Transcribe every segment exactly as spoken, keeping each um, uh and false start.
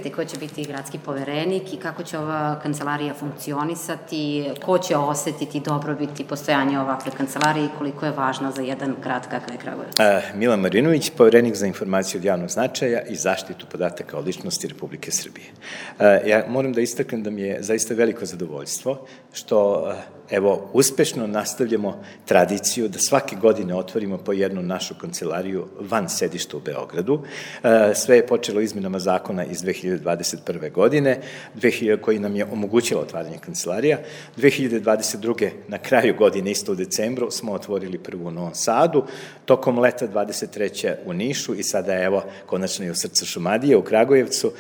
mislite ko će biti gradski poverenik i kako će ova kancelarija funkcionisati, ko će osetiti dobrobiti postojanja ovakve kancelarije i koliko je važna za jedan grad kakav je Kragujevac? Milan Marinović, poverenik za informaciju od javnog značaja i zaštitu podataka o ličnosti Republike Srbije. Ja moram da istaknem da mi je zaista veliko zadovoljstvo što, evo, uspešno nastavljamo tradiciju da svake godine otvorimo po jednu našu kancelariju van sedišta u Beogradu. Sve je počelo izmenama zakona iz dve hiljade dvadeset prve. godine, koji nam je omogućila otvaranje kancelarija. dve hiljade dvadeset druge. na kraju godine, isto u decembru, smo otvorili prvu u Novom Sadu, tokom leta dvadeset treće. u Nišu i sada, evo, konačno i u srcu Šumadije, u Kragujevcu,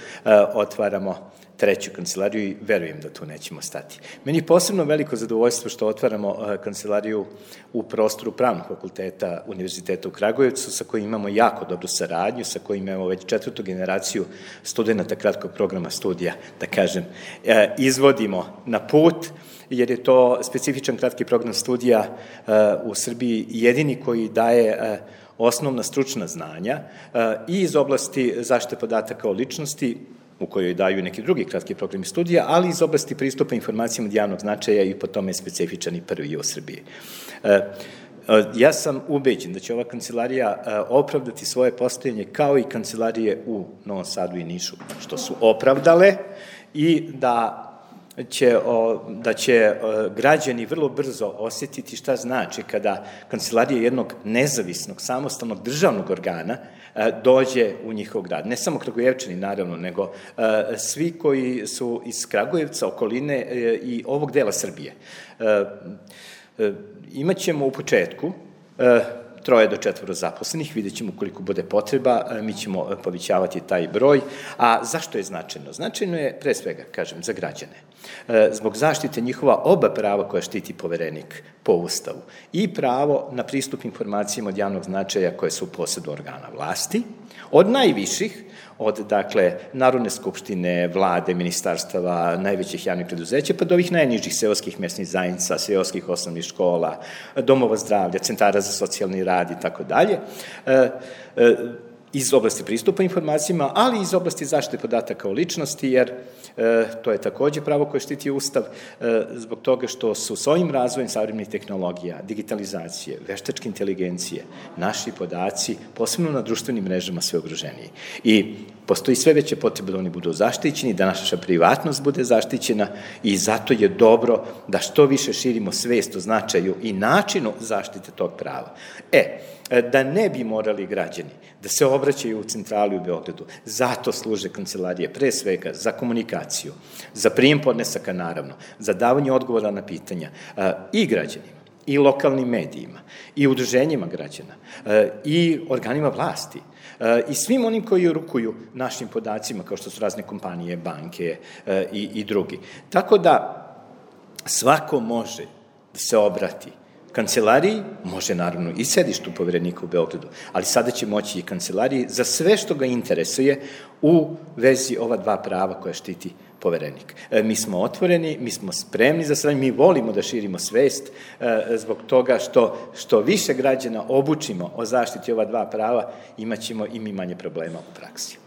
otvaramo treću kancelariju i verujem da tu nećemo stati. Meni je posebno veliko zadovoljstvo što otvaramo kancelariju u prostoru Pravnog fakulteta Univerziteta u Kragujevcu, sa kojim imamo jako dobru saradnju, sa kojim imamo već četvrtu generaciju studenta kratkog programa studija, da kažem, izvodimo na put, jer je to specifičan kratki program studija u Srbiji jedini koji daje osnovna stručna znanja i iz oblasti zaštite podataka o ličnosti, u kojoj daju neki drugi kratki programi studija, ali iz oblasti pristupa informacijama od javnog značaja i po tome je specifičan i prvi u Srbiji. Ja sam ubeđen da će ova kancelarija opravdati svoje postojanje kao i kancelarije u Novom Sadu i Nišu, što su opravdale, i da će, da će građani vrlo brzo osetiti šta znači kada kancelarija jednog nezavisnog, samostalnog državnog organa dođe u njihov grad. Ne samo Kragujevčani, naravno, nego svi koji su iz Kragujevca, okoline i ovog dela Srbije. Imaćemo u početku troje do četvoro zaposlenih, vidjet ćemo koliko bude potreba, mi ćemo povećavati taj broj. A zašto je značajno? Značajno je, pre svega, kažem, za građane. Zbog zaštite njihova oba prava koja štiti poverenik po Ustavu i pravo na pristup informacijama od javnog značaja koje su u posedu organa vlasti, od najviših, od, dakle, Narodne skupštine, vlade, ministarstava, najvećih javnih preduzeća, pa do ovih najnižih seoskih mesnih zajednica, seoskih osnovnih škola, domova zdravlja, centara za socijalni rad i tako dalje, iz oblasti pristupa informacijama, ali i iz oblasti zaštite podataka o ličnosti, jer to je takođe pravo koje štiti Ustav, zbog toga što su s ovim razvojem savremenih tehnologija, digitalizacije, veštačke inteligencije, naši podaci, posebno na društvenim mrežama, sve ugroženiji. I postoji sve veće potrebe da oni budu zaštićeni, da naša privatnost bude zaštićena i zato je dobro da što više širimo svest o značaju i načinu zaštite tog prava. E, da ne bi morali građani da se obraćaju u centrali u Beogradu, zato služe kancelarije, pre svega, za komunikaciju, za prijem podnesaka, naravno, za davanje odgovora na pitanja i građanima, i lokalnim medijima, i udruženjima građana, i organima vlasti, i svim onim koji rukuju našim podacima, kao što su razne kompanije, banke i, i drugi. Tako da svako može da se obrati kancelariji, može naravno i sedištu poverenika u Beogradu, ali sada će moći i kancelariji za sve što ga interesuje u vezi ova dva prava koja štiti poverenik. Mi smo otvoreni, mi smo spremni za saradnju, mi volimo da širimo svest zbog toga što, što više građana obučimo o zaštiti ova dva prava, imaćemo i mi manje problema u praksi.